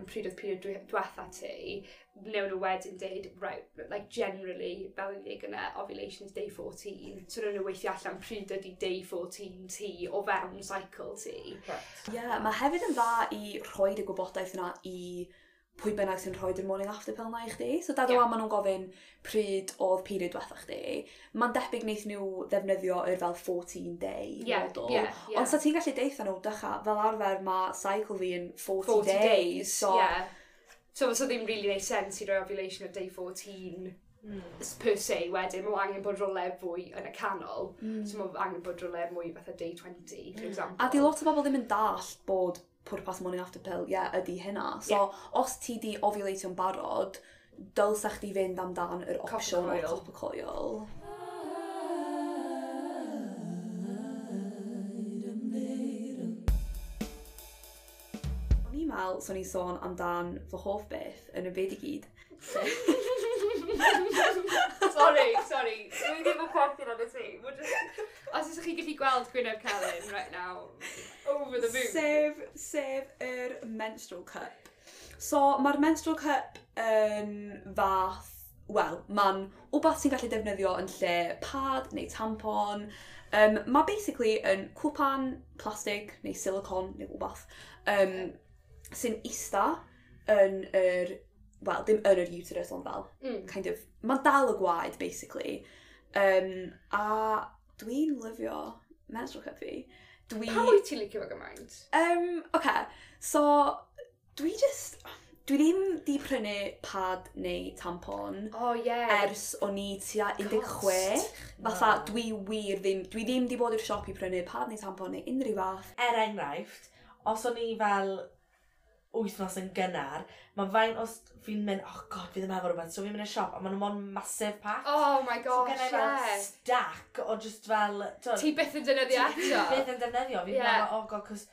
pryd oedd period dwetha ti, wnewn nhw wedyn deud, right, like generally, fel yn dweud yna, ovulation is day 14. So wnawn nhw weithio allan pryd ydy day 14 ti o fewn cycle ti. Right. Ie, yeah, mae hefyd yn dda i rhoid y gwybodaeth yna i pwy bynnag sy'n rhoi'r morning after pill na i chdi. So dad Ie. yeah. maen nhw'n gofyn pryd oedd period diwetha chdi. Mae'n debyg wneith nhw ddefnyddio yr fel 14 day Ie, model. ie, ie. Ond sa ti'n gallu deutha nhw, dycha, fel arfer mae cycle fi yn 40, 40 days. So, yeah. So fysa ddim really neud sense i roi ovulation ar day 14 Per se wedyn, mae angen bod rhywle fwy yn y canol. So mae angen bod rhywle mwy fatha day 20, for example. A di lot o bobl ddim yn dallt bod pwrpas morning after pill, ie, yeah, ydy hynna. So, os ti di ovulatio'n barod, dylsa chdi fynd amdan yr opsiwn o'r Copper copper coil. O'n i'n meddwl, so ni'n sôn amdan fy hoff beth yn y byd i gyd. Sorry, sorry. Dwi ddim yn chwerthin ar y ti. Os ydych chi'n gallu gweld Gwyneb Celyn right now, over the moon. Sef yr menstrual cup. So, mae'r menstrual cup yn fath, wel, mae'n wbath sy'n gallu defnyddio yn lle pad neu tampon. Mae basically yn cwpan plastig neu silicon neu wbath sy'n ista yn yr, wel, dim yn yr uterus ond fel, kind of, mae'n dal y gwaed, basically. A dwi'n lyfio menstrual cup fi. Dwi... Pam wyt ti'n licio fo gymaint? Okay, so dwi ddim di prynu pad neu tampon Oh, yeah. ers o'n i tua 16. Fatha, dwi wir ddim, dwi ddim di bod i'r siop i prynu pad neu tampon neu unrhyw fath. Er enghraifft, os o'n i fel wythnos yn gynnar, mae fain os fi'n mynd, oh god, fi ddim efo rhywbeth, so fi'n mynd i'r siop, a maen nhw mond massive pack. Oh my So gosh, gen i fel yeah. stack o just fel... t'wod, Ti byth yn defnyddio eto. Byth yn defnyddio. Fi'n meddwl, oh god, cos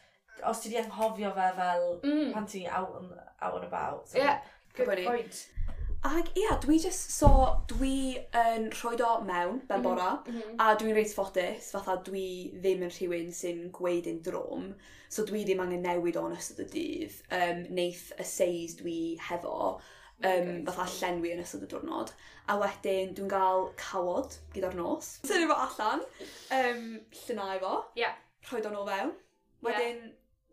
os ti di anghofio fe fel pan ti out and about. So. Yeah, good Gwybod ni. point. Ac ia, dwi just, so dwi yn rhoi o mewn ben bora, a dwi'n reit ffodus, fatha dwi ddim yn rhywun sy'n gweud yn drwm, so dwi ddim angen newid o'n ystod y dydd. Neith y seis dwi hefo, fatha llenwi yn ystod y diwrnod. A wedyn dwi'n gael cawod gyda'r nos. Tynnu fo allan, llynau fo, rhoi o nôl fewn. Wedyn,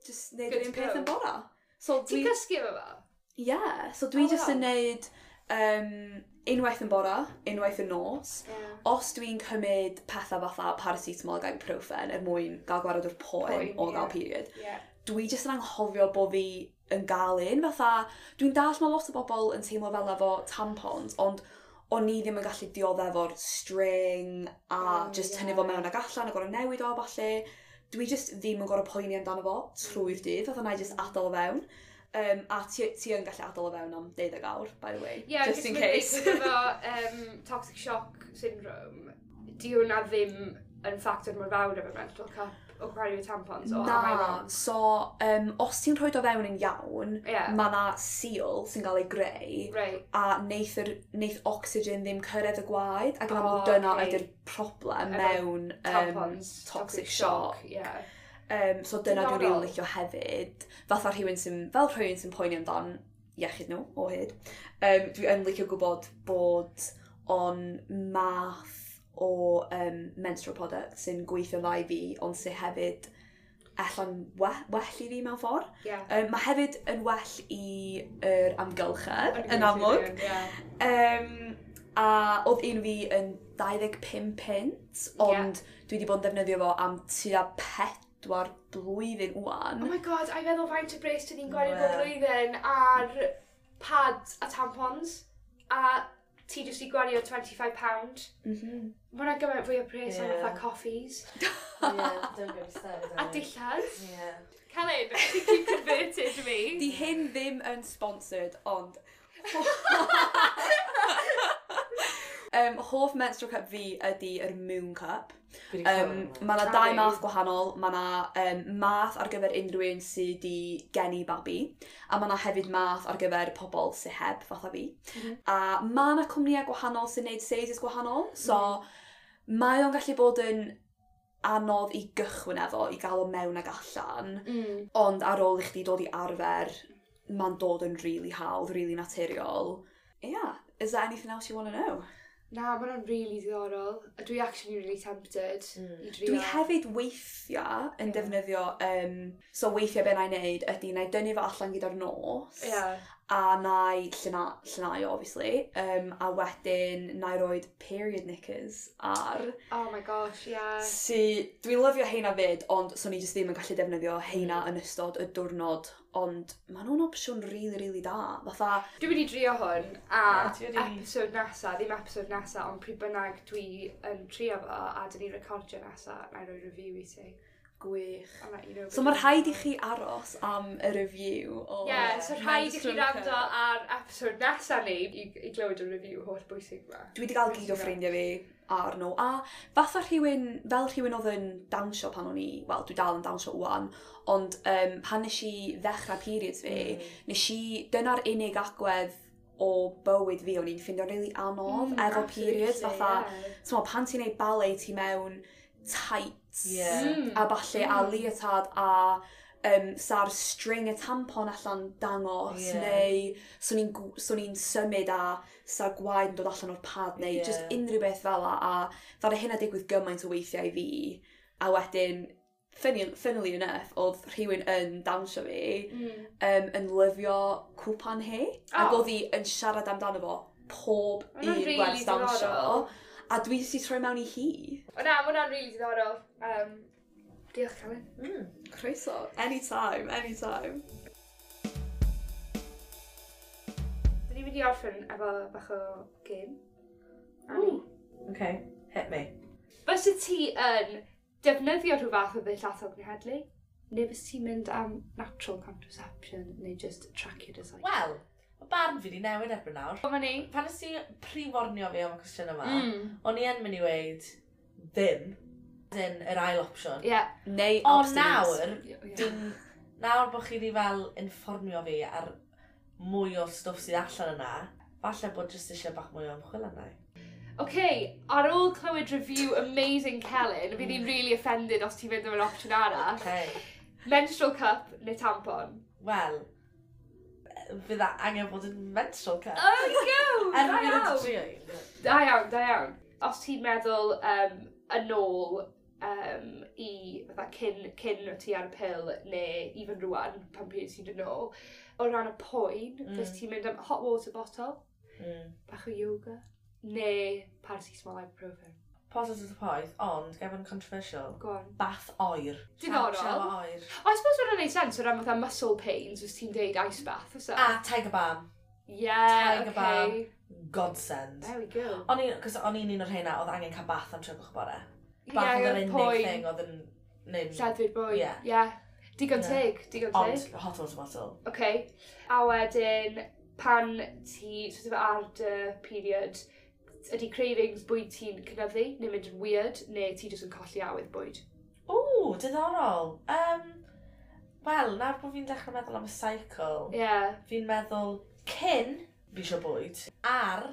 just neud Good yr un to peth go. yn bora. So Ti'n dwi... cysgu efo fo? Yeah, so dwi Oh, just wow. yn neud unwaith yn bora, unwaith yn nos. Os dwi'n cymryd pethau fatha paracetamol ac ibuprofen er mwyn gael gwared o'r poen Poen, o gael ie. period, Yeah. dwi just yn anghofio bod fi yn gael un. Fatha, dwi'n dallt mae lot o bobl yn teimlo fel efo tampons, ond o'n i ddim yn gallu dioddef o'r string a Oh, just ie. tynnu fo mewn ag allan a gorau newid o a ballu. Dwi just ddim yn gorau poeni amdano fo trwy'r dydd, fatha na i just adael o fewn. A ti yn gallu adael o fewn am 12 awr, by the way, Yeah, just in case. Efo toxic shock syndrome, di hwnna ddim yn ffactor mor fawr efo menstrual cup o cymharu efo tampons, o am I Na, wrong? so os ti'n rhoi o fewn yn iawn, Yeah. mae na seal sy'n cael ei greu, a neith oxygen ddim cyrraedd y gwaed, ac yn amlwg Oh, dyna okay. ydy'r problem Efo mewn Tampons, toxic shock. Yeah. So dyna dwi'n Diddorol. rili licio hefyd. Fatha rhywun sy'n, fel rhywun sy'n poeni amdan iechyd nhw o hyd. Dwi yn licio gwybod bod o'n math o menstrual product sy'n gweithio'n dda i fi, ond sy'n hefyd ella'n well i fi mewn ffordd. Yeah. Mae hefyd yn well i yr amgylchedd, yn amlwg. Yeah. A oedd un fi yn 25 pint, ond dwi wedi bod yn defnyddio fo am tua 4 blwyddyn wan. Oh my god, a i feddwl faint o bres dyn ni'n gwario bob Wel. blwyddyn ar pads a tampons, a ti jyst i gwario £25. Mae hwnna gymaint fwy o pres am Yeah. fatha coffees. Yeah, don't get me started. A dillad. Yeah. Celyn, I think you converted me. Di hyn ddim yn sponsored, ond... Hoff menstrual cup fi ydy yr Moon Cup. Mae yna dau math gwahanol. Mae yna math ar gyfer unrhyw un sydd wedi geni babi. A mae yna hefyd math ar gyfer pobl sydd heb, fatha fi. A mae yna cwmnïau gwahanol sy'n neud sizes gwahanol. So, mae o'n gallu bod yn anodd i gychwyn efo, i gael o mewn ag allan. Ond ar ôl i chdi dod i arfer, mae'n dod yn really hawdd, really naturiol. Yeah, is there anything else you want to know? Na, mae hwnna'n really diddorol. A dwi actually really tempted i drio. Dwi hefyd weithiau yn defnyddio, so weithiau be na i wneud ydy na i dynnu fo allan gyda'r nos, A na i llnau, obviously. A wedyn na i roed period knickers ar. Oh my gosh, yeah. Si, dwi'n lyfio heina fyd, ond so ni jyst ddim yn gallu defnyddio heina yn ystod y diwrnod. Ond maen nhw'n opsiwn really, really da. Fatha... Dwi'n mynd i drio hwn, a episode nesa, ddim episode nesa, ond pryd bynnag dwi yn trio fo, a dyn ni'n recordio nesa, na i roi review i ti. Gwych. So mae rhaid i chi aros am y review o... Ie, yeah, so rhaid i chi rando ar episode nesa ni i glywed y review holl bwysig yma. Dwi wedi cael gyd o ffrindiau fi ar nhw. A fatha rhywun, fel rhywun oedd yn dawnsio pan o'n i, wel, dwi dal yn dawnsio wan, ond pan nes i ddechrau periods fi, nes i, dyna'r unig agwedd o bywyd fi o'n i'n ffeindio'n really anodd efo periods. Fatha, yeah. Pan ti'n neud ballet ti mewn tights a falle a leotard a sa'r string y tampon allan dangos neu swn i'n symud a sa'r gwaed yn dod allan o'r pad neu just unrhyw beth fel a ddaru hynna digwydd gymaint o weithiau i fi a wedyn funnily enough oedd rhywun yn dawnsio fi yn lyfio cwpan hi ac oedd hi yn siarad amdano fo pob un really gwers dawnsio. A dwi wedi troi mewn i hi. O na, mae hwnna'n really diddorol. Diolch, Celyn. Croeso. Anytime, anytime. Dyn ni'n mynd i orffen efo bach o game. Annie. Okay, hit me. Fysa ti yn defnyddio rhyw fath o ddull atal cenhedlu? Neu fysa ti'n mynd am natural contraception neu just track your desire? Wel, mae barn fi wedi newid erbyn nawr. Dyma ni. Pan nes ti pre-warnio fi am y cwestiwn yma, o'n i yn mynd i weud ddim. Yn yr ail opsiwn. Yeah. Neu ond nawr, nawr bod chi wedi fel informio fi ar mwy o stwff sydd allan yna, falle bod jyst eisiau bach mwy o ymchwil yna. OK, ar ôl clywed review amazing Celyn, fydd hi'n really offended os ti'n mynd am yr opsiwn arall. Okay. Menstrual cup neu tampon? Wel, fydd angen bod yn menstrual cup. Oh, go! Da iawn. Da iawn, da iawn. Os ti'n meddwl yn ôl i fatha cyn ti ar y pil neu even rwan pan pryd ti'n dod nôl, o ran y poen, fes ti'n mynd am hot water bottle, bach o yoga, neu paracetamol ibuprofen. Positive poeth, ond gefn controversial. Go on. Bath oer. Diddorol. Shower oer. I suppose hwnna'n neud sens o ran fatha muscle pains, os ti'n deud ice bath, oes e? A tiger balm. Yeah, tiger okay. Balm. Godsend. There we go. Cos o'n i'n un o'r rheina oedd angen cael bath am 3 bore. Bath oedd yr unig thing oedd yn... Lledwi'r bwyd. Yeah. Yeah. Digon teg, digon teg. Ond hot water bottle. Okay. A wedyn, pan ti sort of ar dy period, ydy cravings bwyd ti'n cynyddu, neu mynd yn weird, neu ti jyst yn colli awydd bwyd? Ww, diddorol. Wel, nawr bod fi'n dechrau meddwl am y cycle, fi'n meddwl cyn fi eisiau bwyd, ar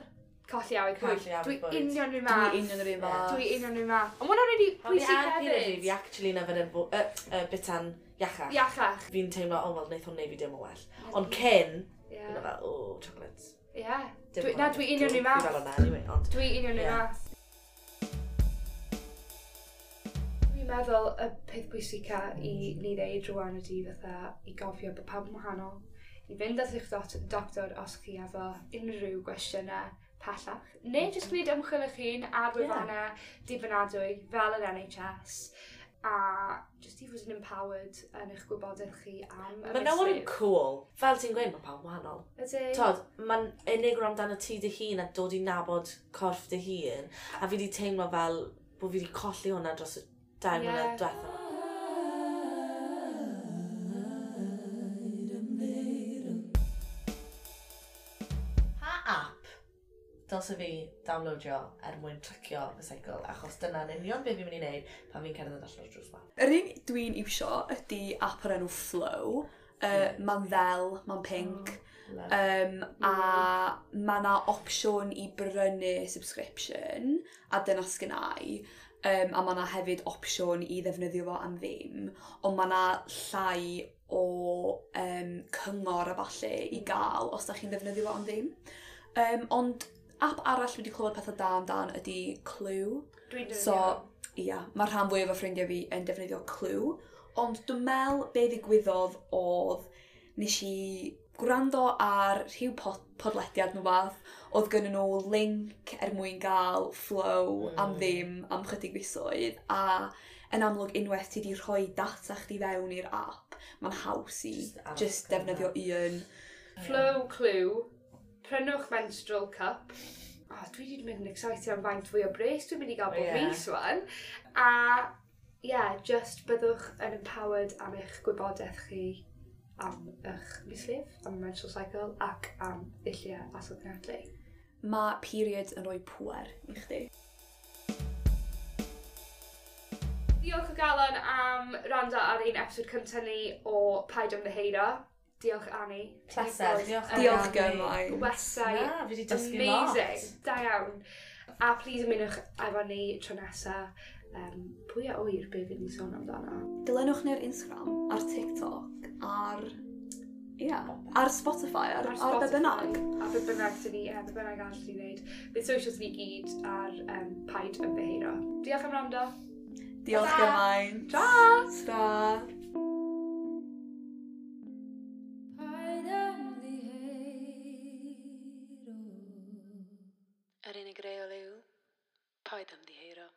colli awydd bwyd. Dwi union rhyw math. Dwi union rhyw math. Dwi union rhyw math. Ond hwnna'n really pwysig hefyd. Fi actually yn yfed bitan iachach. Iachach. Fi'n teimlo, oh, wel, wneith hwn neud fi dim o well. Ond cyn, fi'n fel, oh, chocolates. Yeah. Na, dwi union rhyw math. Dwi fel yna, anyway, ond... Dwi union rhyw math. Dwi'n meddwl y peth pwysica i ni ddeud rwan ydi fatha i gofio bod pawb yn wahanol. I fynd at eich doctor os chi efo unrhyw gwestiynau pellach. Neu jyst gwneud ymchwil eich hun ar wefannau dibynadwy fel yr NHS. A jyst i fod yn empowered yn eich gwybodaeth chi am y Mae nawr yn cool. Fel ti'n gweud, mae pawb wahanol. Ydy. Tod, mae'n unig amdano ti dy hun a dod i nabod corff dy hun. A fi wedi teimlo fel bod fi wedi colli hwnna dros y 2 mlynedd diwethaf. Pa app dylse fi downloadio er mwyn tracio fy cycle, achos dyna'n union beth fi'n mynd i wneud pan fi'n cerdded allan o'r drws ma. Yr un dwi'n iwsio ydy app o'r enw Flow. Mae'n ddel, mae'n pink. A mae yna opsiwn i brynu subscription, a dyna sgynna i. A mae yna hefyd opsiwn i ddefnyddio fo am ddim. Ond mae yna llai o cyngor a falle i gael os da chi'n ddefnyddio fo am ddim. Ond app arall dwi wedi clywed pethau da amdan ydy Clue. Dwi'n defnyddio. So, ia, mae rhan fwyaf o ffrindiau fi yn defnyddio Clue. Ond dwi'n meddwl be ddigwyddodd oedd nes i gwrando ar rhyw podlediad nhw fath, oedd gynnu nhw link er mwyn gael Flo am ddim am chydig fisoedd, a yn amlwg unwaith ti wedi rhoi data chdi fewn i'r app, mae'n haws i just defnyddio un. Flo Clue, prynwch menstrual cup. Oh, dwi wedi mynd yn excited am faint fwy o bres dwi'n mynd i gael bob mis wan. A yeah, just byddwch yn empowered am eich gwybodaeth chi am eich mislif, am y menstrual cycle ac am ddulliau atal cenhedlu. Mae periods yn rhoi pŵer i chdi. Diolch o galon am rando ar ein episod cyntaf ni o Paid Ymddiheuro. Diolch, Annie. Pleser, diolch. Diolch gymaint. Westai. Na, fi wedi dysgu lot. Amazing. Da iawn. A please ymunwch efo ni tro nesa. Pwy a ŵyr be fydd ni'n sôn amdano? Dilynwch ni ar Instagram, ar TikTok, ar... Ia, ar Spotify, ar be bynnag. A be bynnag dyn ni, be bynnag arall ni'n neud. Bydd socials ni gyd ar Paid Ymddiheuro. Diolch am wrando. Diolch gymaint. Ta! Ta! Paid ymddiheuro. Yr unig reol yw, paid ymddiheuro.